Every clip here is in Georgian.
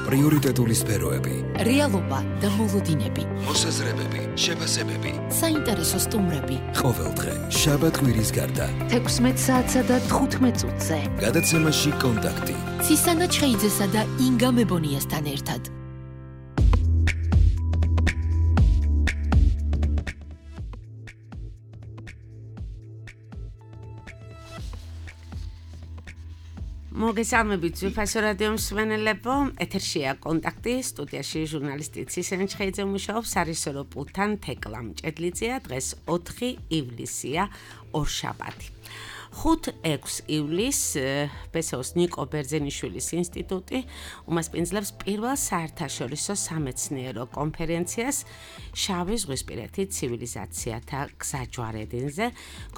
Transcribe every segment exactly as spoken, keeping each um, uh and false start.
პრიორიტეტული სფეროები, რეალობა და მოლოდინები, მოსაზრებები, შეფასებები, საინტერესო სტუმრები. ყოველდღე, შაბათ-კვირის გარდა, თექვსმეტ საათსა და თხუთმეტ წუთზე. გადაცემაში კონტაქტი. ცისანა ჩხეიძესა და ინგა მებონიასთან ერთად. მოგესალმებით ძვირფასო რადიო მსმენელებო, ეთერშია კონტაქტი, სტუდიაში ჟურნალისტი ცისანა ჩხეიძე მუშაობს, სარისორო პულტთან თეკლა მჭედლიძეა, დღეს ოთხი ივლისია, ორშაბათი. ხუთ ექვსი ივლისს ბესეოს ნიკო ბერძენიშვილის ინსტიტუტი უმასპინძლებს პირველ საერთაშორისო სამეცნიერო კონფერენციას შავი ზღვისპირეთი ცივილიზაციათა გზაჯვარედინზე.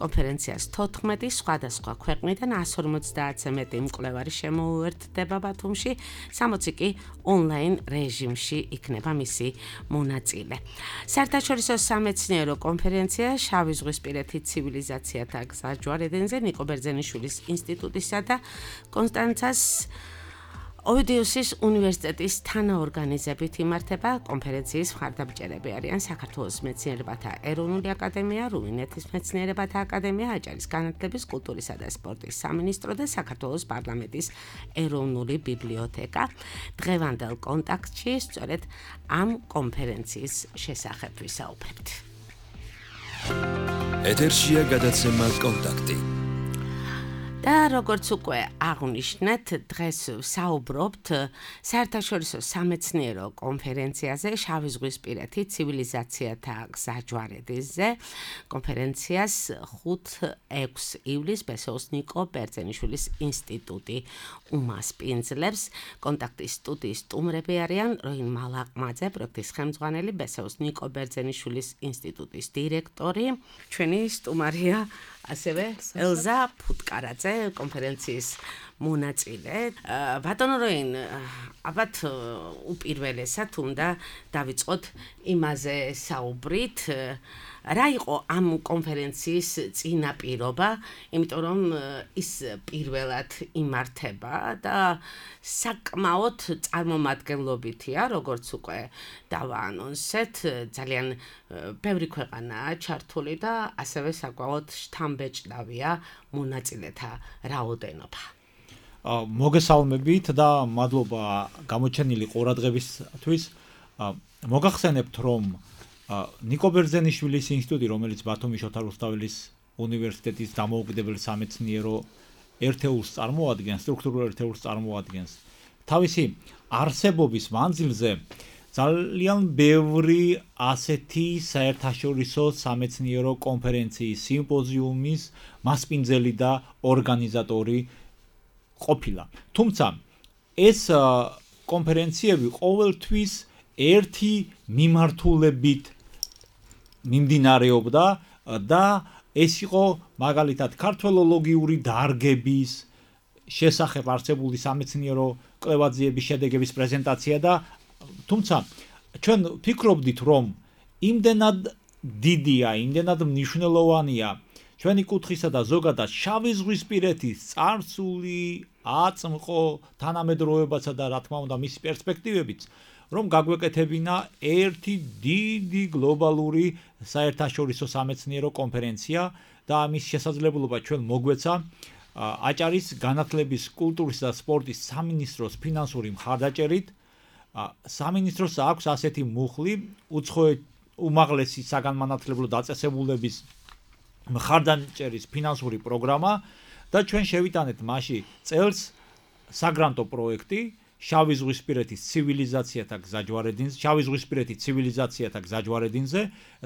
კონფერენციას თოთხმეტი სხვადასხვა ქვეყნიდან εκατს ორმოცდაათზე მეტი მკვლევარი შემოუერთდება ბათუმში, სამოცი კი ონლაინ რეჟიმში იქნება მისი მონაწილე. საერთაშორისო სამეცნიერო კონფერენცია შავი ზღვისპირეთი ცივილიზაციათა გზაჯვარედინზე ნიკო ბერძენიშვილის ინსტიტუტისა და კონსტანცას ოვიდიუსის უნივერსიტეტის თანაორგანიზებით იმართება. კონფერენციის მხარდამჭერები არიან საქართველოს მეცნიერებათა ეროვნული აკადემია, რუმინეთის მეცნიერებათა აკადემია, აჭარის განათლების, კულტურისა და სპორტის სამინისტრო და საქართველოს პარლამენტის ეროვნული ბიბლიოთეკა. დღევანდელ კონტაქტში სწორედ ამ კონფერენციის შესახებ ვისაუბრებთ. ეთერშია გადაცემა კონტაქტი. და როგორც უკვე აღვნიშნეთ, დღეს ვსაუბრობთ საერთაშორისო სამეცნიერო კონფერენციაზე შავი ზღვისპირეთი ცივილიზაციათა გზაჯვარედინზე. კონფერენციას ხუთ ექვსი ივლისს ბესეოს ნიკო ბერძენიშვილის ინსტიტუტი უმასპინძლებს. კონტაქტის სტუდიის სტუმრები არიან როინ მალაყმაძე, პროექტის ხელმძღვანელი, ბესეოს ნიკო ბერძენიშვილის ინსტიტუტის დირექტორი. ჩვენი სტუმარია ასევე ელზა ფუტკარაძე, კონფერენციის მონაწილე. ბატონო როინ, ალბათ უპირველესად უნდა დავიწყოთ იმაზე საუბრით, რა იყო ამ კონფერენციის წინაპირობა, იმიტომ რომ ის პირველად იმართება და საკმაოდ წარმომადგენლობითია, როგორც უკვე დავაანონსეთ, ძალიან ბევრი ქვეყანაა ჩართული და ასევე საკმაოდ შთამბეჭდავია მონაწილეთა რაოდენობა. მოგესალმებით და მადლობა გამოჩენილი ყურადღებისთვის. მოგახსენებთ, რომ ნიკო ბერძენიშვილის ინსტიტუტი, რომელიც ბათუმის შოთა რუსთაველის უნივერსიტეტის დამოუკიდებელი სამეცნიერო ერთეულს წარმოადგენს, სტრუქტურულ ერთეულს წარმოადგენს, თავისი არსებობის მანძილზე ძალიან ბევრი ასეთი საერთაშორისო სამეცნიერო კონფერენციის, სიმპოზიუმის მასპინძელი და ორგანიზატორი ყოფილა. თუმცა ეს კონფერენციები ყოველთვის ერთი მიმართულებით მიმდინარეობდა და ეს იყო მაგალითად ქართველოლოგიური დარგების შესახებ არსებული სამეცნიერო კვლევაძიების შედეგების პრეზენტაცია და თუმცა ჩვენ ვფიქრობდით, რომ იმდენად დიდია, იმდენად მნიშვნელოვანია ჩვენი კუთხისა და ზოგადად შავი ზღვისპირეთის წარსული, აწმყო, თანამედროვეობაცა და რა თქმა უნდა მისი პერსპექტივებიც, რომ გაგვეკეთებინა ერთი დიდი გლობალური საერთაშორისო სამეცნიერო კონფერენცია და ამის შესაძლებლობა ჩვენ მოგვეცა აჭარის განათლების, კულტურის და სპორტის სამინისტროს ფინანსური მხარდაჭერით. სამინისტროს აქვს ასეთი მუხლი, უცხოეთ უმაღლესი საგანმანათლებლო დაწესებულების მხარდაჭერის ფინანსური პროგრამა და ჩვენ შევიტანეთ მასში წელს საგრანტო პროექტი შავი ზღვისპირეთის ცივილიზაციათა გზაჯვარედინზე, შავი ზღვისპირეთის ცივილიზაციათა გზაჯვარედინზე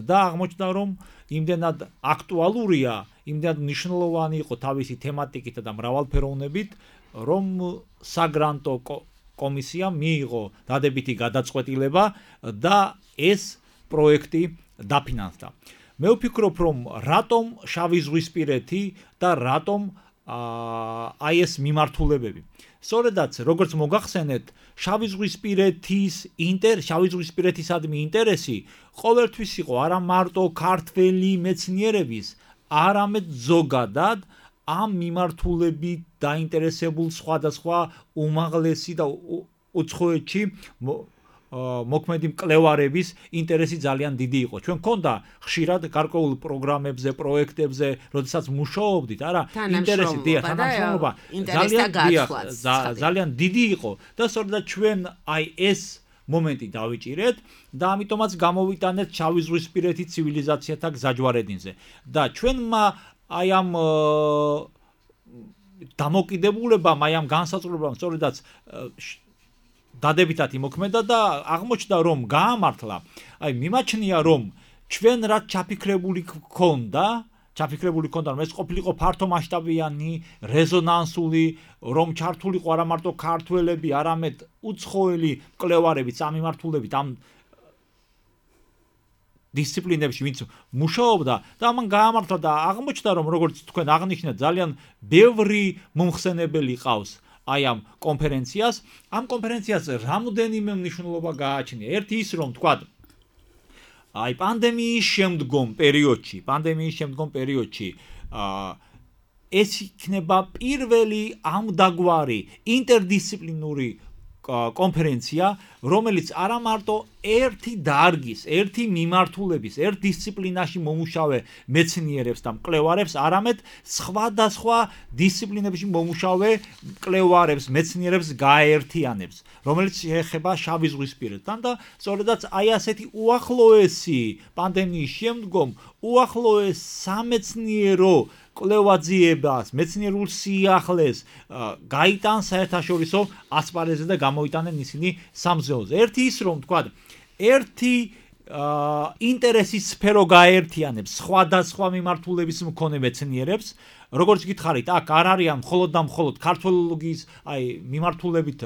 და აღმოჩნდა, რომ იმდენად აქტუალურია, იმდენად მნიშვნელოვანი იყო თავისი თემატიკით და მრავალფეროვნებით, რომ საგრანტო კომისიამ მიიღო დადებითი გადაწყვეტილება და ეს პროექტი დაფინანსდა. მე ვფიქრობ, რომ რატომ შავი ზღვისპირეთი და რატომ აი ეს მიმართულებები. სწორედაც, როგორც მოგახსენეთ, შავი ზღვისპირეთის ინტერ, შავი ზღვისპირეთისადმი ინტერესი ყოველთვის იყო არა მარტო ქართველი მეცნიერების, არამედ ზოგადად ამ მიმართულებით დაინტერესებულ სხვადასხვა უმაღლესი და უცხოეთში მოქმედი მკვლევარების ინტერესი ძალიან დიდი იყო. ჩვენ მქონდა ხშირად გარკვეულ პროგრამებზე, პროექტებზე, როდესაც მუშაობდით, არა, ინტერესი დიახ, თანამშრომლობა ძალიან ძალიან დიდი იყო და სწორედ ჩვენ აი ეს მომენტი დავიჭირეთ და ამიტომაც გამოვიტანეთ შავი ზღვისპირეთი ცივილიზაციათა გზაჯვარედინზე. და ჩვენმა აი ამ დამოკიდებულებამ, აი ამ განსაზღვრებამ სწორედაც დადებითად იმოქმედა და აღმოჩნდა რომ გაამართლა, აი მიმაჩნია რომ ჩვენ რაც ჩაფიქრებული გქონდა, ჩაფიქრებული გქონდა რომ ეს ყოფილიყო ფართო მასშტაბიანი, რეზონანსული, რომ ჩართულიყო არა მარტო ქართველები, არამედ უცხოელი მკვლევარებიც ამ მიმართულებით ამ დისციპლინებში ვინც მუშაობდა და ამან გაამართლა და აღმოჩნდა რომ როგორც თქვენ აღნიშნეთ ძალიან ბევრი მომხსენებელი ყავს აი ამ კონფერენციას. ამ კონფერენციას რამოდენიმე მნიშვნელობა გააჩნია. ერთი ის რომ თქვა აი პანდემიის შემდგომ პერიოდში, პანდემიის შემდგომ პერიოდში აა ეს იქნება პირველი ამდაგვარი ინტერდისციპლინური კონფერენცია, რომელიც არა მარტო ერთი დარგის, ერთი მიმართულების, ერთ დისციპლინაში მომუშავე მეცნიერებს და მკვლევარებს, არამედ სხვადასხვა დისციპლინებში მომუშავე მკვლევარებს, მეცნიერებს გააერთიანებს, რომელიც შეეხება შავი ზღვისპირეთთან და სწორედაც აი ასეთი უახლოესი პანდემიის შემდგომ უახლოეს სამეცნიერო კვლევაძიებას, მეცნიერულ სიახლეს გაიტან საერთაშორისო ასპარეზზე და გამოიტანენ ისინი სამზეოზე. ერთი ის რომ თქვა, ერთი ინტერესის სფერო გააერთიანებს სხვადასხვა მიმართულების მქონე მეცნიერებს, როგორც გითხარით, აქ არ არიან მხოლოდ და მხოლოდ ქართველოლოგიის აი მიმართულებით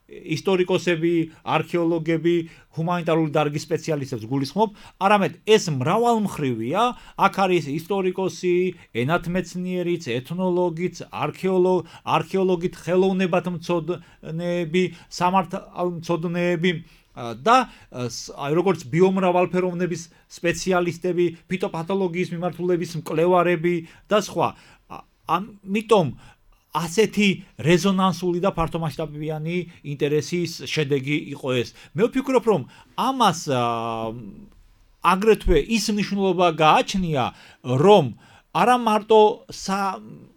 ისტორიკოსები, არქეოლოგები, ჰუმანიტარული დარგის სპეციალისტებს გულისხმობ, არამედ ეს მრავალმხრივია, აქ არის ისტორიკოსი, ენათმეცნიერიც, ეთნოლოგიც, არქეოლოგ, არქეოლოგით, ხელოვნებათმცოდნეები, სამართალმცოდნეები და აი როგორც ბიომრავალფეროვნების სპეციალისტები, ფიტოპათოლოგიის მიმართულების მკვლევარები და სხვა. ამიტომ ასეთი რეზონანსული და ფართომასშტაბიანი ინტერესის შედეგი იყო ეს. მე ვფიქრობ, რომ ამას აგრეთვე ის მნიშვნელობა გააჩნია, რომ არა მარტო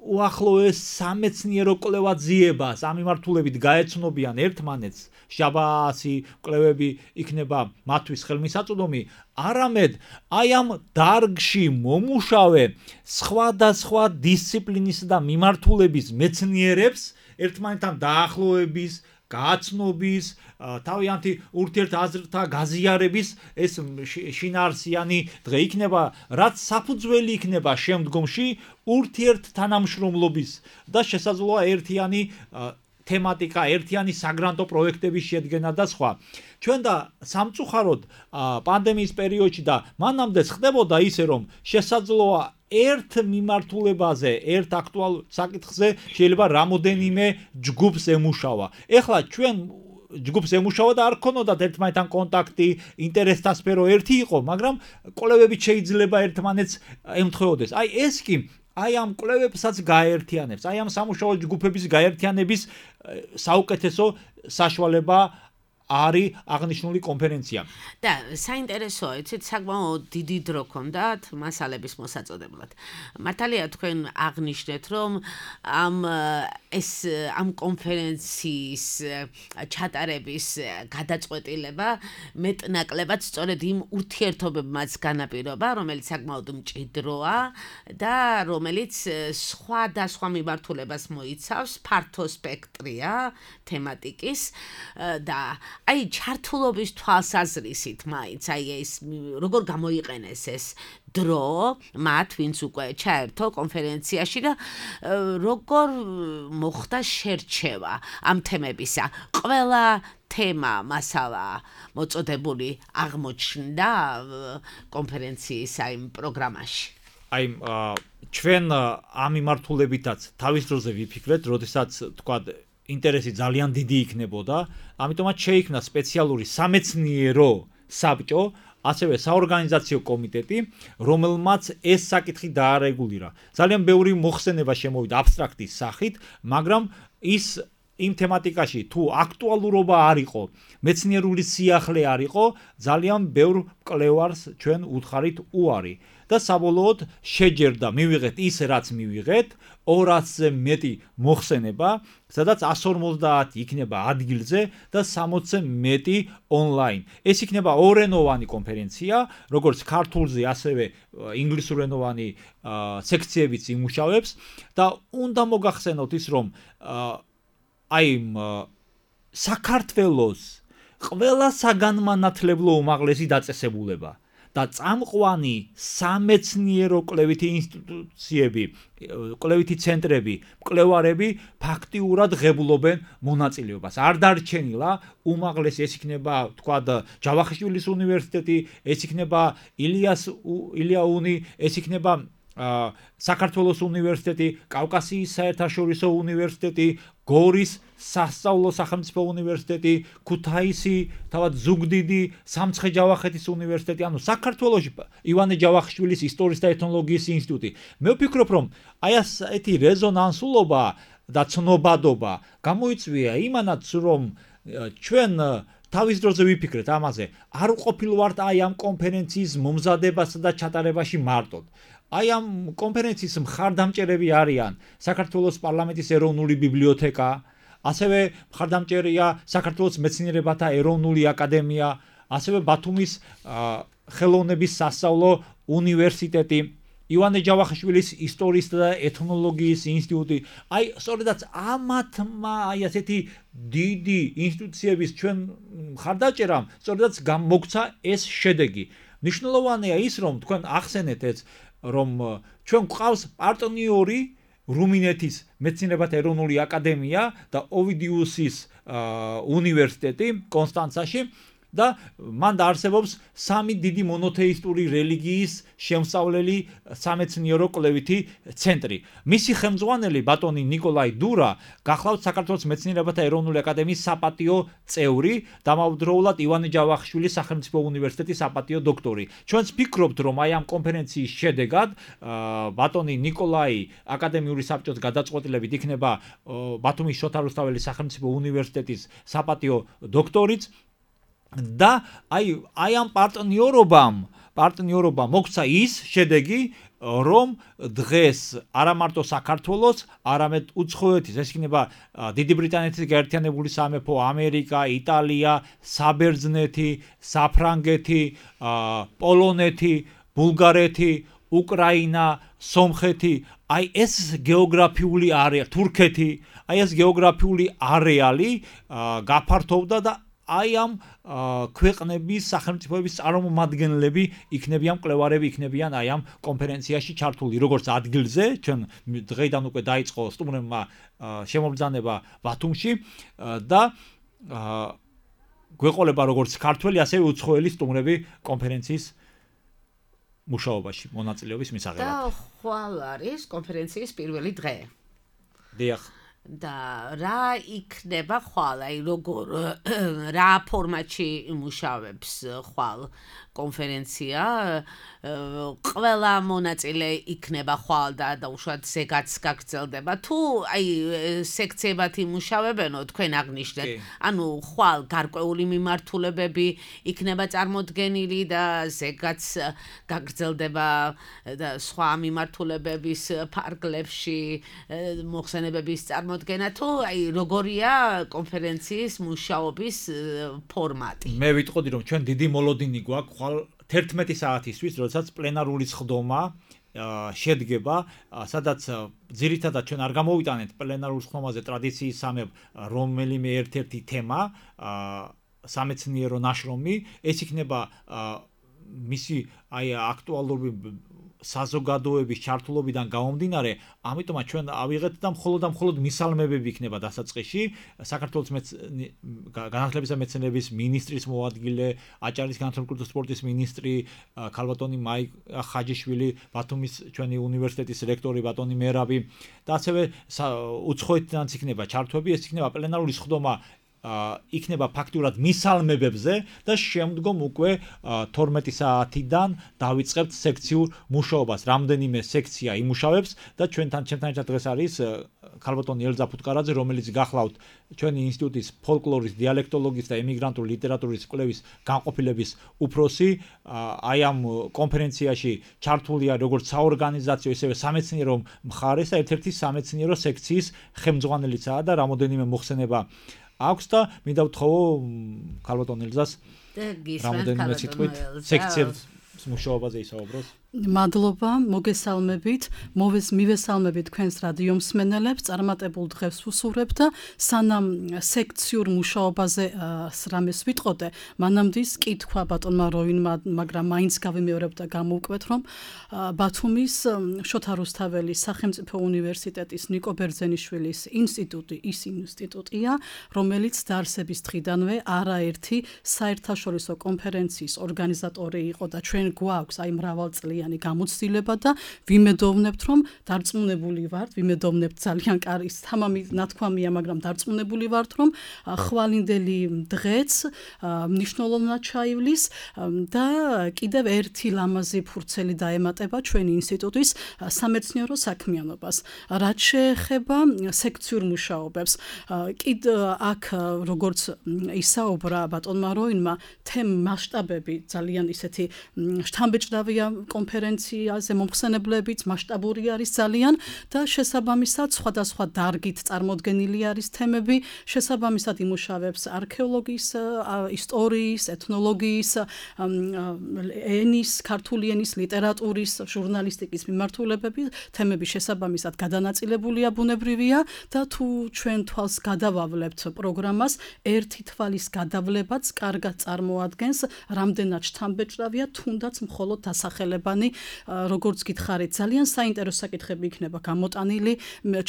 უახლოეს სამეცნიერო კვლევაძიებას ამ მიმართულებით გაეცნობიან ერთმანეთს, შაბასი კვლევები იქნება მათთვის ხელმისაწვდომი, არამედ აი ამ დარგში მომუშავე სხვადასხვა დისციპლინის და მიმართულების მეცნიერებს ერთმანეთთან დაახლოების, გააცნობის, თავიანთი ურთიერთაზრთა გაზიარების ეს შინაარსიანი დღე იქნება, რაც საფუძველი იქნება შემდგომში ურთიერთთანამშრომლობის და შესაძლოა ერთიანი თემატიკა, ერთიანი საგრანტო პროექტების შედგენა და სხვა. ჩვენ და სამწუხაროდ პანდემიის პერიოდში და მანამდე ხდებოდა ისე, რომ შესაძლოა ერთ მიმართულებაზე, ერთ აქტუალურ საკითხზე შეიძლება რამოდენიმე ჯგუფს ემუშავა. ეხლა ჩვენ ჯგუფს ემუშავა და არ ქონოდათ ერთმანეთთან კონტაქტი, ინტერესთა სფერო ერთი იყო, მაგრამ კვლევებით შეიძლება ერთმანეთს ემთხვეოდეს. აი ეს კი აი ამ კვლევებსაც გააერთიანებს, აი ამ სამუშაო ჯგუფების გააერთიანების საუკეთესო საშუალება არის აღნიშნული კონფერენცია. და საინტერესოა, იცით, საკმაოდ დიდი დრო ჰქონდათ მასალების მოსაწოდებლად. მართალია თქვენ აღნიშნეთ, რომ ამ ეს ამ კონფერენციის ჩატარების გადაწყვეტილება მეტნაკლებად სწორედ იმ ურთიერთობებმაც განაპირობა, რომელიც საკმაოდ მჭიდროა და რომელიც სხვადასხვა მიმართულებას მოიცავს, ფართო სპექტრია თემატიკის და აი ჩართულობის თვალსაზრისით მაინც აი ეს როგორ გამოიყენეს ეს დრო მათ ვინც უკვე ჩაერთო კონფერენციაში და როგორ მოხდა შერჩევა ამ თემებისა. ყველა თემა, მასალა მოწოდებული აღმოჩნდა კონფერენციის აი პროგრამაში. აი ჩვენ ამ მიმართულებითაც თავის დროზე ვიფიქრეთ, როდესაც თქვა ინტერესი ძალიან დიდი იქნებოდა, ამიტომაც შეიქმნა სპეციალური სამეცნიერო საბჭო, ასევე საორგანიზაციო კომიტეტი, რომელმაც ეს საკითხი დაარეგულირა. ძალიან ბევრი მოხსენება შემოვიდა აბსტრაქტის სახით, მაგრამ ის იმ თემატიკაში თუ აქტუალურობა არ იყო, მეცნიერული სიახლე არ იყო, ძალიან ბევრ მკვლევარს ჩვენ უთხარით უარი და საბოლოოდ შეჯერდა მივიღეთ ის რაც მივიღეთ, ორასზე მეტი მოხსენება, სადაც εκατს ორმოცდაათი იქნება ადგილზე და სამოცზე მეტი ონლაინ. ეს იქნება ორენოვანი კონფერენცია, როგორც ქართულზე, ასევე ინგლისურენოვანი სექციებიც იმუშავებს და უნდა მოგახსენოთ ის, რომ აი საქართველოს ყველა საგანმანათლებლო უმაღლესი დაწესებულება და წამყვანი სამეცნიერო კვლევითი ინსტიტუციები, კვლევითი ცენტრები, მკვლევარები ფაქტიურად ღებულობენ მონაწილეობას. არ დარჩენილა უმაღლესი, ეს იქნება თქვა ჯავახიშვილის უნივერსიტეტი, ეს იქნება ილიას ილიაუნი, ეს იქნება საქართველოს უნივერსიტეტი, კავკასიის საერთაშორისო უნივერსიტეტი, გორის სასწავლო სახელმწიფო უნივერსიტეტი, ქუთაისი, თავად ზუგდიდი, სამცხე-ჯავახეთის უნივერსიტეტი, ანუ საქართველოში ივანე ჯავახიშვილის ისტორიის და ეთნოლოგიის ინსტიტუტი. მე ვფიქრობ, რომ აი ასეთი რეზონანსულობა და ცნობადობა გამოიწვია იმანაც, რომ ჩვენ თავის დროზე ვიფიქრეთ ამაზე, არ ვყოფილვართ აი ამ კონფერენციის მომზადებასა და ჩატარებაში მარტოდ. აი ამ კონფერენციის მხარდამჭერები არიან საქართველოს პარლამენტის ეროვნული ბიბლიოთეკა, ასევე მხარდამჭერია საქართველოს მეცნიერებათა ეროვნული აკადემია, ასევე ბათუმის ხელოვნების სასწავლო უნივერსიტეტი, ივანე ჯავახიშვილის ისტორიის და ეთნოლოგიის ინსტიტუტი. აი სწორედაც ამათმა აი ასეთი დიდი ინსტიტუციების ჩვენ მხარდაჭერამ სწორედაც გამოგცა ეს შედეგი. მნიშვნელოვანია ის, რომ თქვენ ახსენეთ ეს, რომ ჩვენ გვყავს პარტნიორი რუმინეთის მეცნიერებათა ეროვნული აკადემია და ოვიდიუსის უნივერსიტეტი კონსტანცაში და მან დაარსებობს სამი დიდი მონოთეისტური რელიგიის შემსწავლელი სამეცნიერო კვლევითი ცენტრი. მისი ხელმძღვანელი ბატონი ნიკოლაი დურა გახლავთ საქართველოს მეცნიერებათა ეროვნული აკადემიის საპატიო წევრი, დამავდროულად ივანე ჯავახიშვილის სახელმწიფო უნივერსიტეტის საპატიო დოქტორი. ჩვენც ვფიქრობთ, რომ აი ამ კონფერენციის შედეგად ბატონი ნიკოლაი აკადემიური საბჭოს გადაწყვეტილებით იქნება ბათუმის შოთა რუსთაველის სახელმწიფო უნივერსიტეტის საპატიო დოქტორიც და აი აი ამ პარტნიორობამ პარტნიორობამ მოგცა ის შედეგი, რომ დღეს არა მარტო საქართველოს, არამედ უცხოეთის, ეს იქნება დიდი ბრიტანეთის გაერთიანებული სამეფო, ამერიკა, იტალია, საბერძნეთი, საფრანგეთი, პოლონეთი, ბულგარეთი, უკრაინა, სომხეთი, აი ეს გეოგრაფიული არეალი, თურქეთი, აი ეს გეოგრაფიული არეალი გაფართოვდა და აი ამ ქვეყნების სახელმწიფოების წარმომადგენლები იქნებიან, მკვლევარები იქნებიან აი ამ კონფერენციაში ჩართული, როგორც ადგილზე, ჩვენ დღეიდან უკვე დაიწყო სტუმრებმა შემობრძანება ბათუმში და გვეყოლება როგორც ქართველი, ასევე უცხოელი სტუმრები კონფერენციის მუშაობაში მონაწილეობის მისაღებად. და ხვალ არის კონფერენციის პირველი დღე. დიახ. და რა იქნება ხვალ, აი როგორ რა ფორმატში იმუშავებს ხვალ კონფერენცია, ყველა მონაწილე იქნება ხვალ და დაუშვათ ზეგაც გაგრძელდება, თუ აი სექციებად იმუშავებენო თქვენ აღნიშნეთ, ანუ ხვალ გარკვეული მიმართულებები იქნება წარმოდგენილი და ზეგაც გაგრძელდება და სხვა მიმართულებების ფარგლებში მოხსენებების წარმოდგენა, თუ აი როგორია კონფერენციის მუშაობის ფორმატი. მე ვიტყოდი, რომ ჩვენ დიდი მოლოდინი გვაქვს ხვალ თერთმეტი საათისთვის, როდესაც პლენარული სხდომა შედგება, სადაც ძირითადად ჩვენ არ გამოვიტანეთ პლენარულ სხდომაზე ტრადიციისამებრ რომელიმე ერთ-ერთი თემა, სამეცნიერო ნაშრომი, ეს იქნება მისი აი აქტუალური საზოგადოების ჩართულობიდან გამომდინარე, ამიტომაც ჩვენ ავიღეთ და მხოლოდ და მხოლოდ მისალმებები იქნება დასაწყისში, საქართველოს განათლებისა და მეცნიერების მინისტრის მოადგილე, აჭარის განათლების და სპორტის მინისტრი, ქალბატონი მაიკ ხაჯიშვილი, ბათუმის ჩვენი უნივერსიტეტის რექტორი ბატონი მერაბი და ასევე უცხოეთიდან იქნება ჩართვები, ეს იქნება პლენარული სხდომა იქნება ფაქტურად მისალმებებზე და შემდგომ უკვე თორმეტი საათიდან დავიწყებთ სექციურ მუშაობას. რამდენიმე სექცია იმუშავებს და ჩვენთან ჩემთან ერთად დღეს არის ქალბატონი ელზა ფუტკარაძე, რომელიც გახლავთ ჩვენი ინსტიტუტის ფოლკლორის, დიალექტოლოგიის და ემიგრანტული ლიტერატურის კვლევის განყოფილების უფროსი. აი ამ კონფერენციაში ჩართულია როგორც საორგანიზაციო, ისევე სამეცნიერო მხარეს და ერთ-ერთი სამეცნიერო სექციის ხელმძღვანელიცაა და რამოდენიმე მოხსენება აქვს და მინდა ვთხოვო ქალბატონ ელზას რამოდენიმე სიტყვით სექციების მუშაობაზე ისაუბროს. მადლობა, მოგესალმებით, მოვეს მივესალმებით თქვენს რადიო მსმენელებს, წარმატებულ დღეს ვუსურვებ და სანამ სექციურ მუშაობაზე რამეს ვიტყოდე, მანამდე კითხვა ბატონმა როინმა, მაგრამ მაინც გავიმეორებ და გამოვკვეთ, რომ ბათუმის შოთა რუსთაველის სახელმწიფო უნივერსიტეტის ნიკო ბერძენიშვილის ინსტიტუტი ის ინსტიტუტია, რომელიც დაარსების დღიდანვე არაერთი საერთაშორისო კონფერენციის ორგანიზატორი იყო და ჩვენ გვაქვს აი მრავალწლიანი გამოცდილება და ვიმედოვნებთ, რომ დარწმუნებული ვართ, ვიმედოვნებთ ძალიან კარგი თამამი ნათქვამია, მაგრამ დარწმუნებული ვართ, რომ ხვალინდელი დღეც მნიშვნელოვნად ჩაივლის და კიდევ ერთი ლამაზი ფურცელი დაემატება ჩვენი ინსტიტუტის სამეცნიერო საქმიანობას. რაც შეეხება სექციურ მუშაობებს, კიდ აქ როგორც ისაუბრა ბატონმა როინმა, თემ მასშტაბები ძალიან ისეთი შთამბეჭდავია კონფერენციაზე მომხსენებლებიც მასშტაბური არის ძალიან და შესაბამისად სხვადასხვა დარგით წარმოდგენილი არის თემები, შესაბამისად იმუშავებს არქეოლოგიის, ისტორიის, ეთნოლოგიის, ენის, ქართული ენის, ლიტერატურის, ჟურნალისტიკის მიმართულებები, თემები შესაბამისად გადანაწილებულია, ბუნებრივია და თუ ჩვენ თვალს გადავავლებთ პროგრამას, ერთი თვალის გადავლებაც კარგად წარმოადგენს, რამდენად შთამბეჭდავია, თუნდაც მხოლოდ დასახელებანი, როგორც გითხარით, ძალიან საინტერესო საკითხები იქნება გამოტანილი.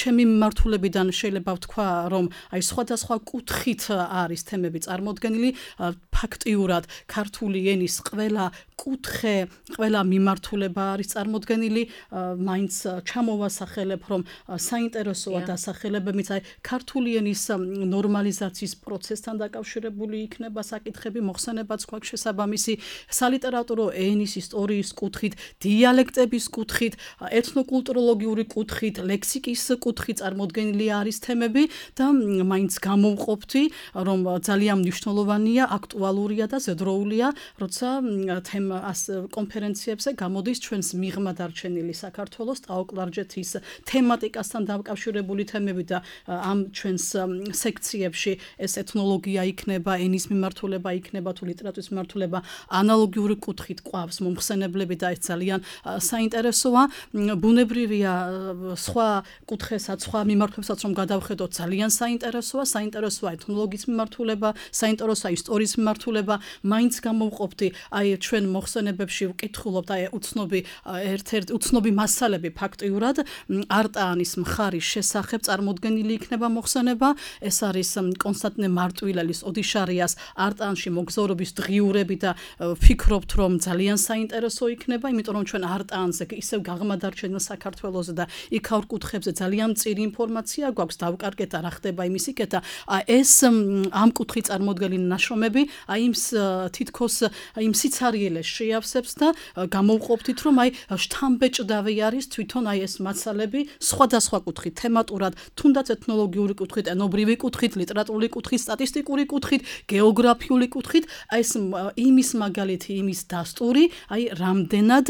ჩემი მიმართულებიდან შეიძლება ვთქვა, რომ აი სხვადასხვა კუთხით არის თემები წარმოდგენილი, ფაქტიურად ქართული ენის ყველა კუთხე, ყველა მიმართულება არის წარმოდგენილი, მაინც ჩამოვასახელებ, რომ საინტერესოა დასახელებებიც, აი ქართული ენის ნორმალიზაციის პროცესთან დაკავშირებული იქნება საკითხები, მოხსენებაც გვაქვს შესაბამისი სალიტერატურო ენის ისტორიის კუთხით, დიალექტების კუთხით, ეთნოკულტუროლოგიური კუთხით, ლექსიკის კუთხით წარმოდგენილი არის თემები და მაინც გამოვყოფთი, რომ ძალიან მნიშვნელოვანია, აქტუალურია და ზედროულია, როცა თემ კონფერენციებზე გამოდის ჩვენს მიღმა დარჩენილი საქართველოს ტაო-კლარჯეთის თემატიკასთან დაკავშირებული თემები და ამ ჩვენს სექციებში ეს ეთნოლოგია იქნება, ენის მიმართულება იქნება, თუ ლიტერატურის მიმართულება, ანალოგიური კუთხით ყვავს მომხსენებლები და ეს ძალიან საინტერესოა. ბუნებრივია სხვა კუთხესაც, სხვა მიმართულებსაც რომ გადავხედოთ, ძალიან საინტერესოა, საინტერესოა ეთნოლოგიის მიმართულება, საინტერესოა ისტორიის მიმართულება, მაინც გამოვყოფთი, აი ჩვენ მოხსენებებში ვკითხულობთ, აი უცნობი ერთ-ერთი უცნობი მასალები ფაქტიურად არტაანის მხარის შესახებ წარმოდგენილი იქნება მოხსენება, ეს არის კონსტანტინე მარტვილელის ოდიშარიას არტაანში მოგზაურობის დღიურები და ვფიქრობთ, რომ ძალიან საინტერესო იქნება, იმიტომ რომ ჩვენ არტაანზე ისევ გაღმადარჩენილ საქართველოზე და იქაურ კუთხებზე ძალიან მწირი ინფორმაცია გვაქვს, დავკარგეთ რა ხდება იმისიკეთა, ეს ამ კუთხით წარმოდგენილი ნაშრომები, აი იმ თითქოს იმ სიცარიელეს შეავსებს და გამოვყოფთით, რომ აი შთამბეჭდავი არის თვითონ აი ეს მასალები სხვადასხვა კუთხით, თემატურად, თუნდაც ეთნოლოგიური კუთხით, ენობრივი კუთხით, ლიტერატურული კუთხით, სტატისტიკური კუთხით, გეოგრაფიული კუთხით, აი ეს იმის მაგალითი, იმის დასტური, აი რამდენად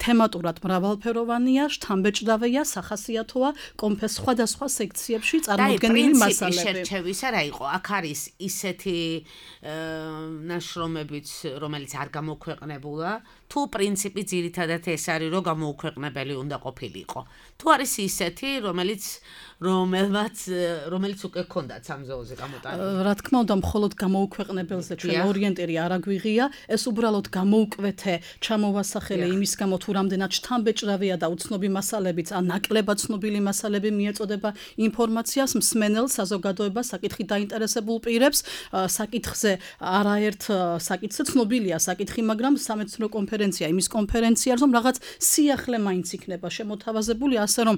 თემატურად მრავალფეროვანია, შთამბეჭდავია, სახასიათოა კონფეს სხვადასხვა სექციებში წარმოდგენილი მასალები. შერჩევისა რა იყო? აქ არის ისეთი ნაშრომებიც, რომელიც არ გამოქვეყნებულა, თუ პრინციპი ძირითადად ეს არის, რომ გამოუქვეყნებელი უნდა ყოფილიყო. თუ არის ისეთი, რომელიც რომელმაც რომელიც უკვე ჰქონდათ სამზეოზე გამოტანილი. რა თქმა უნდა, მხოლოდ გამოუქვეყნებელზე ჩვენ ორიენტირი არ აგვიღია, ეს უბრალოდ გამოუკვეთე, ჩამოვასახელე იმის გამო, თუ რამდენად შთამბეჭდავია და უცნობი მასალებიც, ან ნაკლებად ცნობილი მასალები მიეწოდება ინფორმაციას მსმენელ საზოგადოებას, საკითხით დაინტერესებულ პირებს, საკითხზე არ არაერთ საკითხზე ცნობილია საკითხი, მაგრამ სამეცნიერო კონფერენცია იმის კონფერენცია, რომ რაღაც სიახლე მაინც იქნება შემოთავაზებული, ასე რომ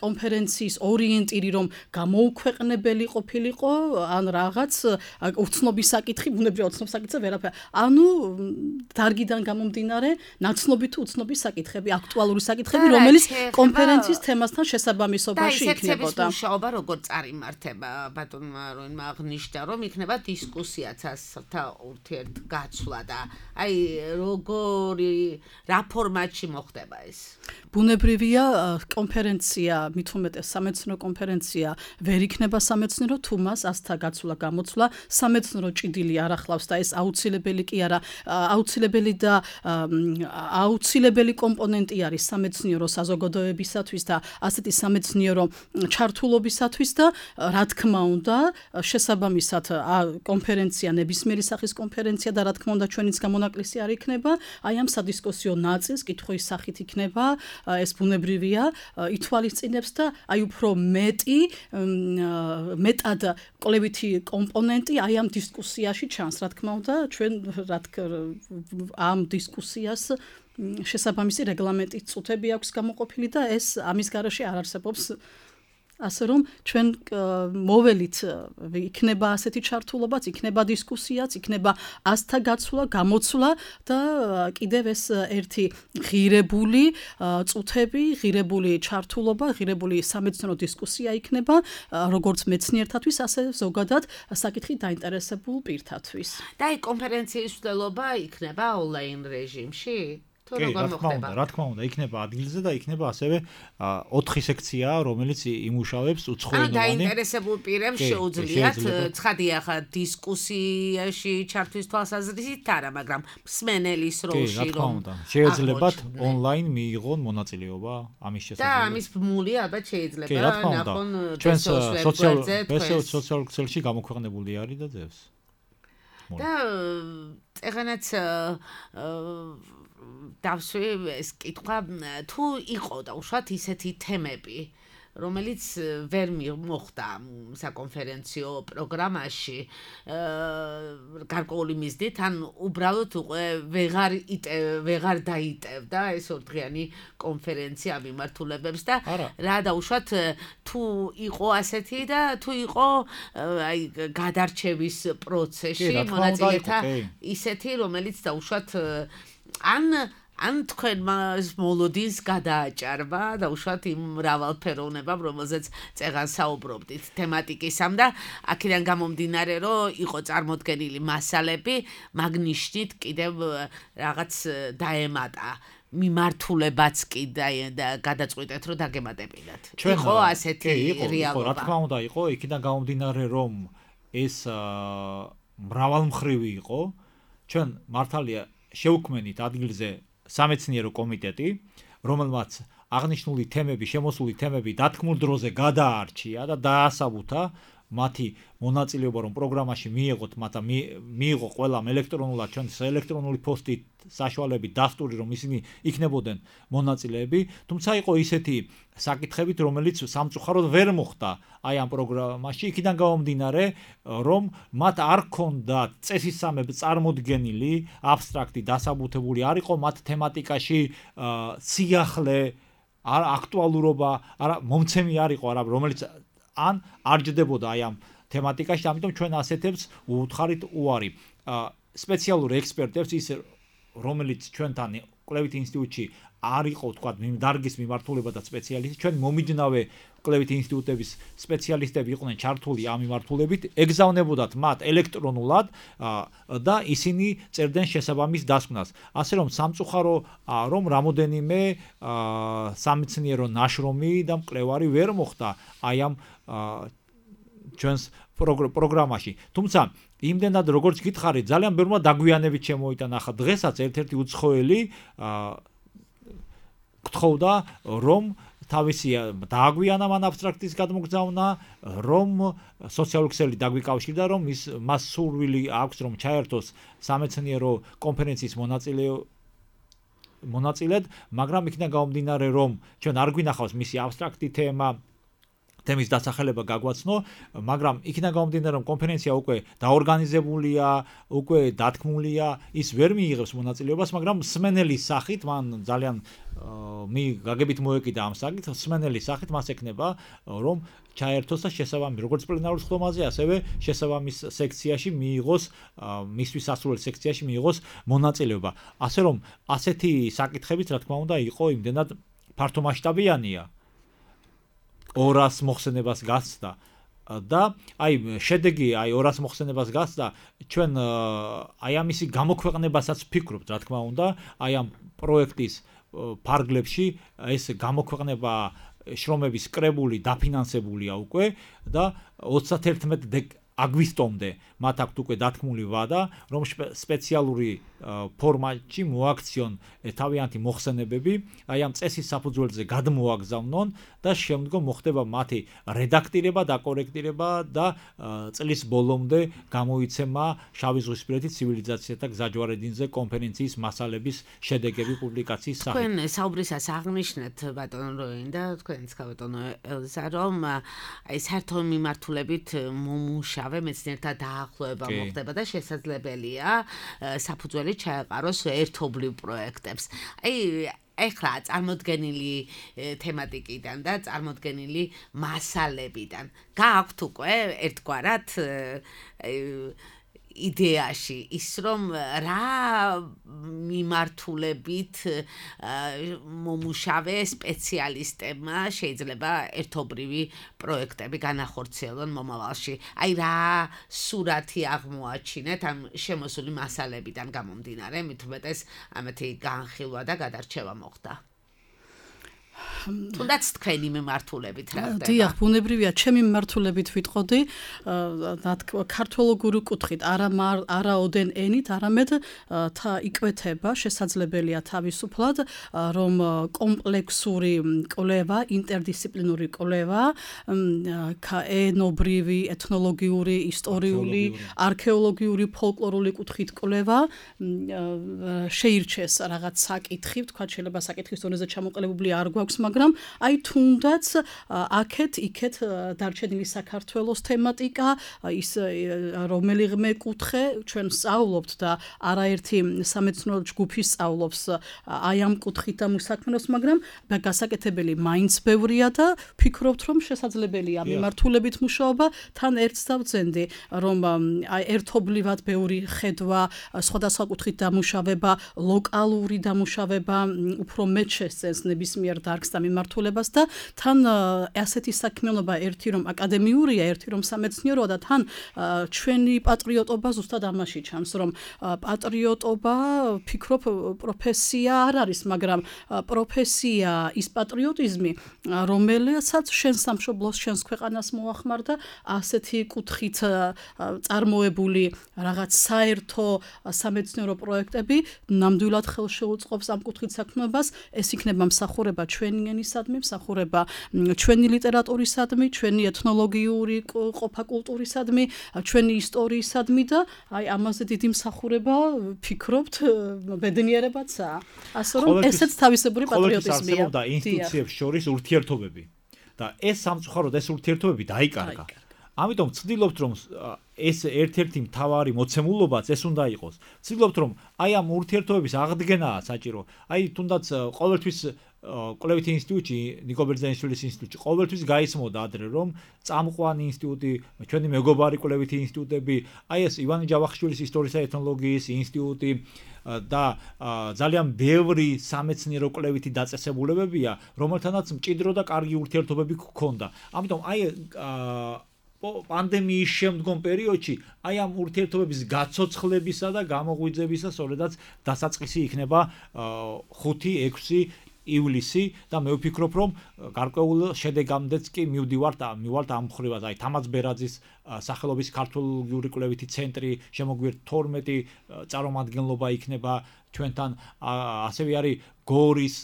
კონფერენციის ორიენტირი რომ გამოუქვეყნებელი ყოფილიყო, ან რაღაც უცნობი საკითხი, ბუნებრივია უცნობ საკითხზე ვერაფერი. ანუ დარგიდან გამომდინარე, ნაცნობი თუ უცნობი საკითხები, აქტუალური საკითხები, რომელიც კონფერენციის თემასთან შესაბამისობაში იქნებოდა. და მუშაობა როგორ წარიმართება, ბატონმა როინმა აღნიშნა, რომ იქნება დისკუსიაც ასთა ურთიერთგაცვლა და აი როგორი რა ფორმატში მოხდება ეს? ბუნებრივია კონფერენცია, მით უმეტეს სამეცნიერო კონფერენცია ვერ იქნება სამეცნიერო, თუ მას ასთა გაცვლა, გამოცვლა სამეცნიერო ჭიდილი არ ახლავს და ეს აუცილებელი კი არა, აუცილებელი და აუცილებელი კომპონენტი არის სამეცნიერო საზოგადოებისათვის და ასეთი სამეცნიერო ჩართულობისათვის და რა თქმა უნდა, შესაბამისად კონფერენცია ნებისმიერი სახის კონფერენცია და რა თქმა უნდა ჩვენიც გამონაკლისი არ იქნება, აი ამ სადისკუსიო ნაწილს კითხვის სახით იქნება, ეს ბუნებრივია, ითვალისწინებს და აი უფრო მეტი მეტად კვლევითი კომპონენტი აი ამ დისკუსიაში ჩანს, რა თქმა უნდა, ჩვენ რა ამ დისკუსიას შესაბამისი რეგლამენტის წუთები აქვს გამოყოფილი და ეს ამის გარეშე არ არსებობს ასე რომ ჩვენ მოველით იქნება ასეთი ჩართულობაც, იქნება დისკუსიაც, იქნება ასთა გაცვლა, გამოცვლა და კიდევ ეს ერთი ღირებული წუთები, ღირებული ჩართულობა, ღირებული სამეცნიერო დისკუსია იქნება, როგორც მეცნიერთათვის, ასე ზოგადად საკითხით დაინტერესებულ პირთათვის. და აი კონფერენციის მცდელობა იქნება ონლაინ რეჟიმში? კი, რა თქმა უნდა, რა თქმა უნდა, იქნება ადგილზე და იქნება ასევე ოთხი სექცია, რომელიც იმუშავებს უცხოენოვანი. ანუ დაინტერესებულ პირებს შეუძლიათ ცხადია ხა დისკუსიაში ჩართვის თვალსაზრისით არა, მაგრამ მსმენელის როლში რომ შეეძლებათ ონლაინ მიიღონ მონაწილეობა ამის შესაძლებლად. და ამის ბმული ალბათ შეიძლება ნახონ ჩვენს სოციალურ სოციალურ ქსელში გამოქვეყნებული არის და ძევს. და ეხანაც დავსვი ეს კითხვა თუ იყო და უშუალოდ ისეთი თემები რომელიც ვერ მოხდა საკონფერენციო პროგრამაში გარკვეული მიზნით ან უბრალოდ უკვე ვეღარ ვეღარ დაიტევდა ეს ორდღიანი კონფერენცია მიმართულებებს და რა დაუშვათ თუ იყო ასეთი და თუ იყო აი გადარჩევის პროცესში მონაწილეთა ისეთი რომელიც დაუშვათ ან ან თქვენ მას მოლოდინს გადააჭარბა და უშუალოდ იმ მრავალფეროვნებამ, რომელზეც წეგან საუბრობდით თემატიკისამ და აქედან გამომდინარე, რომ იყო წარმოდგენილი მასალები, მაგნიშნით კიდევ რაღაც დაემატა მიმართულებაც კი და გადაწყვიტეთ, რომ დაგემატებინათ. იყო ასეთი რეალობა. რა თქმა უნდა, იყო, იქიდან გამომდინარე, რომ ეს მრავალმხრივი იყო, ჩვენ მართალია შევქმნით ადგილზე სამეცნიერო კომიტეტი, რომელმაც აღნიშნული თემები, შემოსული თემები დათქმულ დროზე გადაარჩია და დაასაბუთა მათი მონაწილეობა რომ პროგრამაში მიიღოთ, მათ მიიღო ყველამ ელექტრონულად ჩვენს ელექტრონული პოსტით საშუალებით დასტური რომ ისინი იქნებოდნენ მონაწილეები, თუმცა იყო ისეთი საკითხებით, რომელიც სამწუხაროდ ვერ მოხდა აი ამ პროგრამაში, იქიდან გამომდინარე, რომ მათ არ ჰქონდათ წესისამებ წარმოდგენილი, აბსტრაქტი დასაბუთებული არ იყო მათ თემატიკაში სიახლე, აქტუალურობა, არა მომცემი არ იყო, არა რომელიც ან არ ჯდებოდა აი ამ თემატიკაში, ამიტომ ჩვენ ასეთებს უთხარით უარი. სპეციალური ექსპერტებს ის რომელიც ჩვენთან კვლევით ინსტიტუტში არ იყო თქვა დარგის მიმართულება და სპეციალისტი, ჩვენ მომიჯნავე კვლევით ინსტიტუტების სპეციალისტები იყვნენ ჩართული ამ მიმართულებით, ეგზავნებოდათ მათ ელექტრონულად და ისინი წერდნენ შესაბამის დასკვნას. ასე რომ სამწუხარო რომ რამოდენიმე სამეცნიერო ნაშრომი და მკვლევარი ვერ მოხდა აი ამ ჩვენს პროგრამაში. თუმცა იმდენად როგორც გითხარით, ძალიან ბევრმა დაგვიანებით შემოიტანა. ახლა დღესაც ერთ-ერთი უცხოელი გთხოვდა რომ თავისი დააგვიანა მან აბსტრაქტის გადმოგზავნა, რომ სოციალური ქსელი დაგვიკავშირდა, რომ ის მას სურვილი აქვს რომ ჩაერთოს სამეცნიერო კონფერენციის მონაწილე მონაწილედ, მაგრამ იქიდან გამომდინარე რომ ჩვენ არ გვინახავს მისი აბსტრაქტი თემა თემის დასახელება გაგვაცნო, მაგრამ იქიდან გამომდინარე რომ კონფერენცია უკვე დაორგანიზებულია, უკვე დათქმულია, ის ვერ მიიღებს მონაწილეობას, მაგრამ სმენელის სახით მან ძალიან მი გაგებით მოეკიდა ამ საკითხს, სმენელის სახით მას ეკნება რომ ჩაერთოს და შესაბამის როგორც პლენარულ ხდომაზე, ასევე შესაბამის სექციაში მიიღოს მისთვის ასურველ სექციაში მიიღოს მონაწილეობა. ასე რომ ასეთი საკითხებიც რა თქმა უნდა იყო იმდენად ფართომასშტაბიანია. ორას მოხსენებას გასცდა და აი შედეგი აი ორას მოხსენებას გასცდა ჩვენ აი ამისი გამოქვეყნებასაც ვფიქრობთ რა თქმა უნდა აი ამ პროექტის ფარგლებში ეს გამოქვეყნება შრომების კრებული დაფინანსებულია უკვე და ოცდაათი აგვისტომდე მათ აქვთ უკვე დათქმული ვადა რომ სპეციალური ფორმატში მოაქციონ თავიანთი მოხსენებები აი ამ წესის საფუძველზე გადმოაგზავნონ და შემდგომ მოხდება მათი რედაქტირება და კორექტირება და წლის ბოლომდე გამოიცემა შავიზღვისპირეთი ცივილიზაციათა გზაჯვარედინზე კონფერენციის მასალების შედეგები პუბლიკაციის სახით. თქვენ საუბრისას აღნიშნეთ ბატონო როინ და თქვენიც ბატონო ელზა რომ აი საერთო მიმართულებით მომუშავე მეცნიერთა დაახლოება მოხდება და შესაძლებელია საფუძველი ჩაეყაროს ერთობლივ პროექტებს. აი ეხლა წარმოდგენილი თემატიკიდან და წარმოდგენილი მასალებიდან გააქვთ უკვე ერთგვარად იდეაში ის რომ რა მიმართულებით მომუშავე სპეციალისტებმა შეიძლება ერთობრივი პროექტები განახორციელონ მომავალში. აი რა სურათი აღმოაჩინეთ ამ შემოსული მასალებიდან გამომდინარე, მით უმეტეს ამათი განხილვა და გადარჩევა მოხდა. თუნდაც თქვენი მიმართულებით რა ხდება? დიახ, ბუნებრივია, ჩემი მიმართულებით ვიტყოდი, ქართოლოგური კუთხით, არა არაოდენ ენით, არამედ თა იკვეთება, შესაძლებელია თავისუფლად, რომ კომპლექსური კვლევა, ინტერდისციპლინური კვლევა, ენობრივი, ეთნოლოგიური, ისტორიული, არქეოლოგიური, ფოლკლორული კუთხით კვლევა შეირჩეს რაღაც საკითხი, თქვა შეიძლება საკითხის დონეზე ჩამოყალიბებული არ გვაქვს, მაგრამ აი თუნდაც აქეთ იქეთ დარჩენილი საქართველოს თემატიკა ის რომელიღმე კუთხე ჩვენ სწავლობთ და არაერთი სამეცნიერო ჯგუფი სწავლობს აი ამ კუთხით ამ საქმეს, მაგრამ გასაკეთებელი მაინც ბევრია და ვფიქრობთ რომ შესაძლებელია მიმართულებით მუშაობა თან ერთს დავძენდი რომ აი ერთობლივად ბევრი ხედვა სხვადასხვა კუთხით დამუშავება ლოკალური დამუშავება უფრო მეტ შესწენს ნებისმიერ დარგს და მიმართულებას და თან ასეთი საქმიანობა ერთი რომ აკადემიურია, ერთი რომ სამეცნიეროა და თან ჩვენი პატრიოტობა ზუსტად ამაში ჩანს, რომ პატრიოტობა ვფიქრობ პროფესია არ არის, მაგრამ პროფესია ის პატრიოტიზმი, რომელსაც შენ სამშობლოს, შენს ქვეყანას მოახმარდა ასეთი კუთხით წარმოებული რაღაც საერთო სამეცნიერო პროექტები ნამდვილად ხელშეუწყობს ამ კუთხით საქმიანობას, ეს იქნება მსახურება ჩვენი ენისადმი, მსახურება ჩვენი ლიტერატურისადმი, ჩვენი ეთნოლოგიური ყოფა კულტურისადმი, ჩვენი ისტორიისადმი და აი ამაზე დიდი მსახურება ვფიქრობთ ბედნიერებაცაა. ასე რომ ესეც თავისებური პატრიოტიზმია. და ინსტიტუციებს შორის ურთიერთობები და ეს სამწუხაროდ ეს ურთიერთობები დაიკარგა. ამიტომ ვცდილობთ რომ ეს ერთ-ერთი მთავარი მოცემულობაც ეს უნდა იყოს. ვცდილობთ რომ აი ამ ურთიერთობების აღდგენაა საჭირო. აი თუნდაც ყოველთვის კვლევითი ინსტიტუტი, ნიკო ბერძენიშვილის ინსტიტუტი ყოველთვის გაიცმოდა ადრე რომ წამყვანი ინსტიტუტი, ჩვენი მეგობარი კვლევითი ინსტიტუტები, აი ეს ივანე ჯავახიშვილის ისტორიისა და ეთნოლოგიის ინსტიტუტი და ძალიან ბევრი სამეცნიერო კვლევითი დაწესებულებებია, რომელთანაც მჭიდრო და კარგი ურთიერთობები გქონდა. ამიტომ აი პანდემიის შემდგომ პერიოდში აი ამ ურთიერთობების გაცოცხლებისა და გამოღვიძებისა სწორედაც დასაწყისი იქნება ხუთი ექვსი ივლისი და მე ვფიქრობ რომ გარკვეულ შედეგამდეც კი მივდივართ მივალთ ამ მხრივად აი თამაზ ბერაძის სახელობის ქართოლოგიური კვლევითი ცენტრი შემოგვიერთთ თორმეტი წარმომადგენლობა იქნება ჩვენთან ასევე არის გორის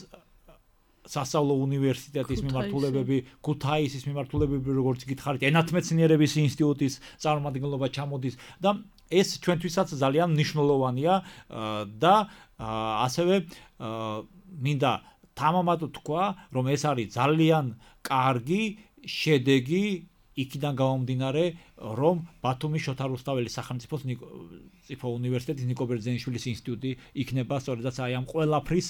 სასწავლო უნივერსიტეტის მიმართულებები, ქუთაისის მიმართულებები, როგორც გითხარით, ენათმეცნიერების ინსტიტუტის წარმომადგენლობა ჩამოდის და ეს ჩვენთვისაც ძალიან მნიშვნელოვანია და ასევე მინდა თამამად თქვა, რომ ეს არის ძალიან კარგი შედეგი იქიდან გამომდინარე, რომ ბათუმის შოთა რუსთაველის სახელმწიფო ციფო უნივერსიტეტის ნიკო ბერძენიშვილის ინსტიტუტი იქნება სწორედაც აი ამ ყველაფრის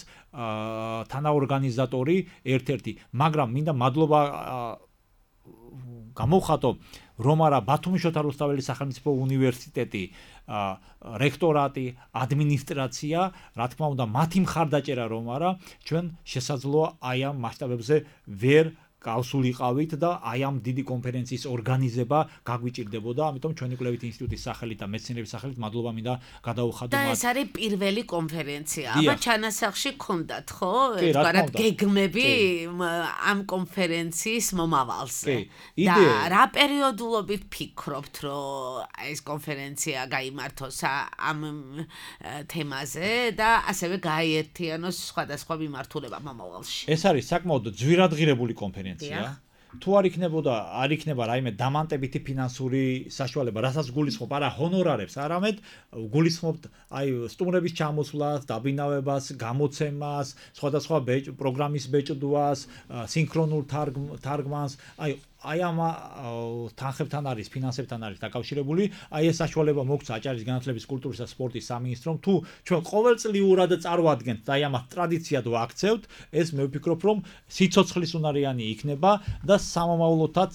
თანაორგანიზატორი ერთ-ერთი, მაგრამ მინდა მადლობა გამოვხატო, რომ არა ბათუმის შოთა რუსთაველის სახელმწიფო უნივერსიტეტი, რექტორატი, ადმინისტრაცია, რა თქმა უნდა, მათი მხარდაჭერა რომ არა, ჩვენ შესაძლოა აი ამ მასშტაბებზე ვერ გავსულიყავით და აი ამ დიდი კონფერენციის ორგანიზება გაგვიჭირდებოდა, ამიტომ ჩვენი კვლევით ინსტიტუტის სახელით და მეცნიერების სახელით მადლობა მინდა გადავუხადო მათ. და ეს არის პირველი კონფერენცია. აბა ჩანასახში გქონდათ, ხო? ერთგვარად გეგმები ამ კონფერენციის მომავალზე. და რა პერიოდულობით ფიქრობთ, რომ ეს კონფერენცია გაიმართოს ამ თემაზე და ასევე გააერთიანოს სხვადასხვა მიმართულება მომავალში? ეს არის საკმაოდ ძვირადღირებული კონფერენცია. თუ არ იქნებოდა, არ იქნება რაიმე დამანტებითი ფინანსური საშუალება, რასაც გულისხმობ, არა ჰონორარებს, არამედ გულისხმობთ აი სტუმრების ჩამოსვლას, დაბინავებას, გამოცემას, სხვადასხვა პროგრამის ბეჭდვას, სინქრონულ თარგმანს, აი აი ამ თანხებთან არის, ფინანსებთან არის დაკავშირებული, აი ეს საშუალება მოგცა აჭარის განათლების, კულტურის და სპორტის სამინისტრომ, თუ ჩვენ ყოველწლიურად წარვადგენთ და აი ამას ტრადიციად ვაქცევთ, ეს მე ვფიქრობ, რომ სიცოცხლის უნარიანი იქნება და სამომავლოდაც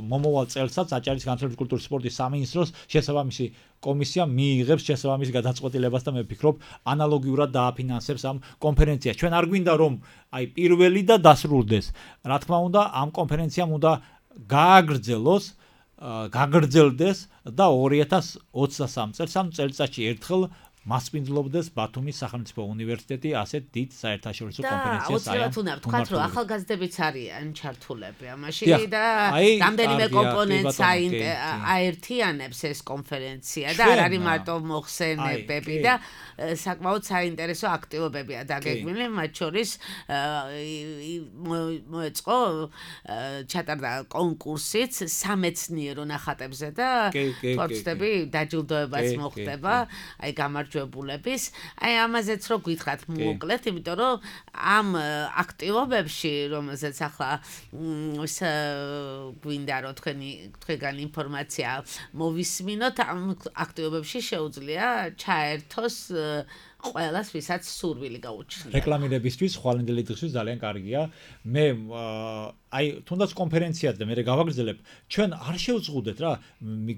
მომავალ წელსაც აჭარის განათლების, კულტურის, სპორტის სამინისტროს შესაბამისი კომისია მიიღებს შესაბამის გადაწყვეტილებას და მე ვფიქრობ, ანალოგიურად დააფინანსებს ამ კონფერენციას. ჩვენ არ გვინდა რომ აი პირველი და დასრულდეს. რა თქმა უნდა, ამ კონფერენციამ უნდა გააგრძელოს, გაგრძელდეს და ორი ათას ოცდასამ წელს ამ წელიწადში ერთხელ მასპინძლობდეს ბათუმის სახელმწიფო უნივერსიტეტი ასეთ დიდ საერთაშორისო კონფერენციას. და აუცილებლად უნდა ვთქვათ, რომ ახალგაზრდებიც არიან ჩართულები ამაში და რამდენიმე კომპონენტს აერთიანებს ეს კონფერენცია და არ არის მარტო მოხსენებები და საკმაოდ საინტერესო აქტივობებია დაგეგმილი, მათ შორის მოეწყო ჩატარდა კონკურსიც სამეცნიერო ნახატებზე და თორცდები დაჯილდოებაც მოხდება, აი გამარჯვებულების. აი ამაზეც რო გითხრათ მოკლედ, იმიტომ რომ ამ აქტივობებში, რომელზეც ახლა გვინდა რომ თქვენი თქვენგან ინფორმაცია მოვისმინოთ, ამ აქტივობებში შეუძლია ჩაერთოს ყველას, ვისაც სურვილი გაუჩნია. რეკლამირებისთვის, ხვალინდელი დღისთვის ძალიან კარგია. მე აი თუნდაც კონფერენციად და მე გავაგრძელებ, ჩვენ არ შევწღუდეთ რა,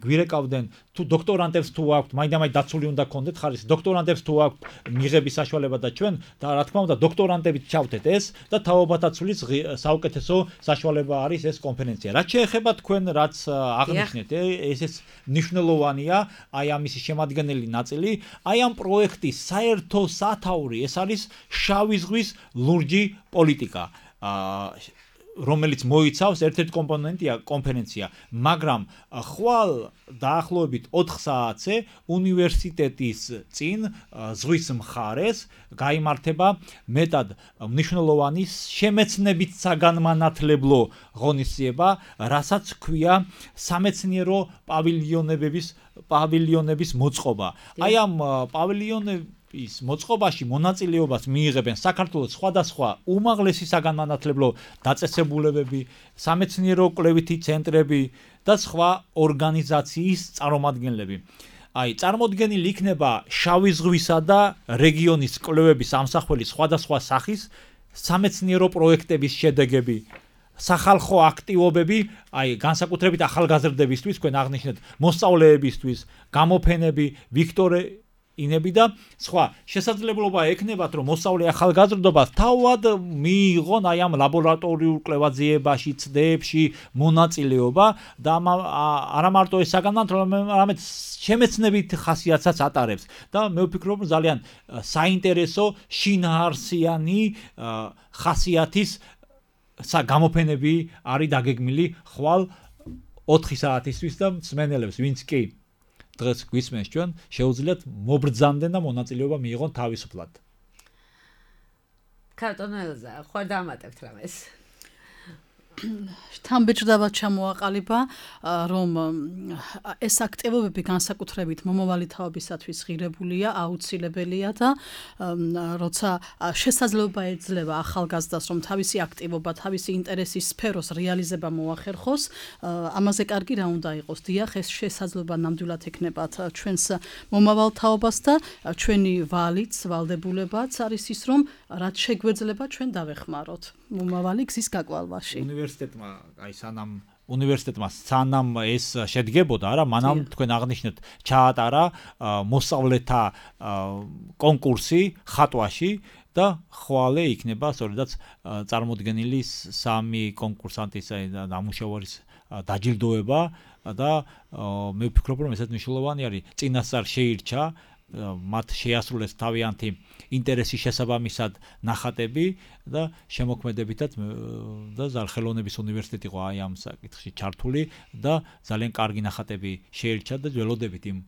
გვირეკავდნენ თუ დოქტორანტებს თუ აქვთ, მაინდა-მაინც დაცული უნდა გქონდეთ ხარისხი, დოქტორანტებს თუ აქვთ მიღების საშუალება და ჩვენ და რა თქმა უნდა დოქტორანტებით ჩავთეთ ეს და თაობათაცulis საუკეთესო საშუალება არის ეს კონფერენცია. რაც შეეხება თქვენ რაც აღნიშნეთ, ესეც მნიშვნელოვანია, აი ამის შემადგენელი ნაწილი, აი ამ პროექტის საერთო სათაური, ეს არის შავი ზღვის ლურჯი პოლიტიკა. რომელიც მოიცავს ერთ-ერთ კომპონენტია კონფერენცია, მაგრამ ხვალ დაახლოებით ოთხ საათზე უნივერსიტეტის წინ ზღვის მხარეს გაიმართება მეტად მნიშვნელოვანი შემეცნებით საგანმანათლებლო ღონისძიება, რასაც ქვია სამეცნიერო პავილიონების პავილიონების მოწყობა. აი ამ პავილიონების ის მოწყობაში მონაწილეობას მიიღებენ საქართველოს სხვადასხვა უმაღლესი საგანმანათლებლო დაწესებულებები, სამეცნიერო კვლევითი ცენტრები და სხვა ორგანიზაციის წარმომადგენლები. აი, წარმოდგენილი იქნება შავი ზღვისა და რეგიონის კვლევების ამსახველი სხვადასხვა სახის სამეცნიერო პროექტების შედეგები, სახალხო აქტივობები, აი, განსაკუთრებით ახალგაზრდებისთვის, თქვენ აღნიშნეთ, მოსწავლეებისთვის, გამოფენები, ვიქტორე ინები და სხვა შესაძლებლობა ექნებათ, რომ მოსწავლე ახალგაზრდობას თავად მიიღონ აი ამ ლაბორატორიულ კვლევაძიებაში, ცდებში მონაწილეობა და არა მარტო ეს საგანმანათლებლო, არამედ შემეცნებით ხასიათსაც ატარებს და მე ვფიქრობ, რომ ძალიან საინტერესო შინაარსიანი ხასიათის გამოფენები არის დაგეგმილი ხვალ ოთხი საათისთვის და მსმენელებს, ვინც კი დღეს გვისმენს ჩვენ, შეუძლიათ მობრძანდნენ და მონაწილეობა მიიღონ თან ბეჭდავად ჩამოაყალიბა, რომ ეს აქტივობები განსაკუთრებით მომავალი თაობისათვის ღირებულია, აუცილებელია და როცა შესაძლებლობა ეძლევა ახალგაზრდას, რომ თავისი აქტივობა, თავისი ინტერესის სფეროს რეალიზება მოახერხოს, ამაზე კარგი რა უნდა იყოს. დიახ, ეს შესაძლებლობა ნამდვილად ექნებათ ჩვენს მომავალ თაობას და ჩვენი ვალიც, ვალდებულებაც არის ის, რომ რაც შეგვეძლება ჩვენ დავეხმაროთ მომავალი გზის გაკვალვაში. უნივერსიტეტმა აი სანამ უნივერსიტეტმა სანამ ეს შედგებოდა, არა, მანამ თქვენ აღნიშნეთ, ჩაატარა მოსწავლეთა კონკურსი ხატვაში და ხვალე იქნება სწორედაც წარმოდგენილი სამი კონკურსანტის დამუშავების დაჯილდოება და მე ვფიქრობ, რომ ესეც მნიშვნელოვანი არის. წინასწარ შეირჩა მათ შეასრულეს თავიანთი ინტერესის შესაბამისად ნახატები და შემოქმედებითაც და ხელოვნების უნივერსიტეტი იყო აი ამ საკითხში ჩართული და ძალიან კარგი ნახატები შეირჩა და ველოდებით იმ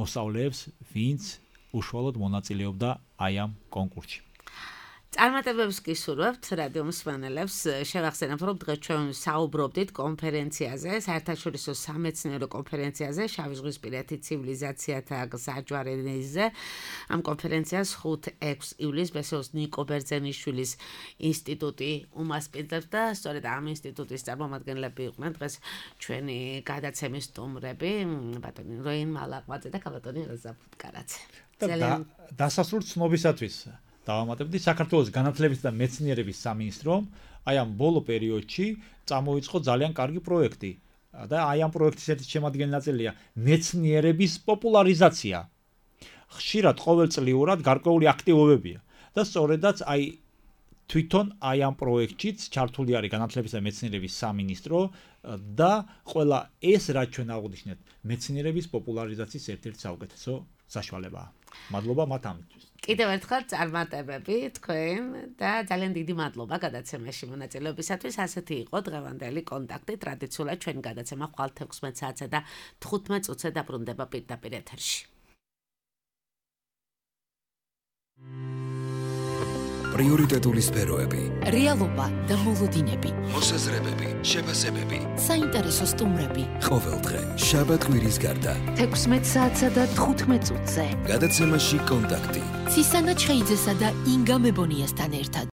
მოსწავლეებს, ვინც უშუალოდ მონაწილეობდა აი ამ კონკურსში. წარმატებებს გისურვებთ რადიო მსმენელებს. შევახსენებ, რომ დღეს ჩვენ საუბრობდით კონფერენციაზე, საერთაშორისო სამეცნიერო კონფერენციაზე, შავი ზღვისპირეთი ცივილიზაციათა გზაჯვარეზე. ამ კონფერენციას ხუთი-ექვსი ივლისს ბესოს ნიკო ბერძენიშვილის ინსტიტუტი უმასპინძლებს და სწორედ ამ ინსტიტუტის წარმომადგენლები იყვნენ დღეს ჩვენი გადაცემის სტუმრები, ბატონი როინ მალაყვაძე და კაბატონი რაზა ფუტკარაძე. ძალიან დასასრულ ცნობისათვის დავამატებდი საქართველოს განათლების და მეცნიერების სამინისტრომ აი ამ ბოლო პერიოდში წამოიწყო ძალიან კარგი პროექტი და აი ამ პროექტის ერთი შემადგენელი ნაწილია მეცნიერების პოპულარიზაცია. ხშირად ყოველწლიურად გარკვეული აქტივობებია და სწორედაც აი თვითონ აი ამ პროექტშიც ჩართული არის განათლების და მეცნიერების სამინისტრო და ყველა ეს რაც ჩვენ აღვნიშნეთ მეცნიერების პოპულარიზაციის ერთ-ერთი საუკეთესო საშუალებაა. მადლობა მათ ამისთვის. კიდევ ერთხელ წარმატებები თქვენ და ძალიან დიდი მადლობა გადაცემაში მონაწილეობისათვის. ასეთი იყო დღევანდელი კონტაქტი. ტრადიციულად ჩვენი გადაცემა ხვალ თექვსმეტ საათსა და თხუთმეტ წუთზე დაბრუნდება პირდაპირ ეთერში. პრიორიტეტული სფეროები, რეალობა და მოლოდინები, მოსაზრებები, შეფასებები, საინტერესო სტუმრები. ყოველდღე შაბათ-კვირის გარდა თექვსმეტ საათსა და თხუთმეტ წუთზე. გადაცემაში კონტაქტი. ცისანა ჩხეიძესა და ინგა მებონიასთან ერთად.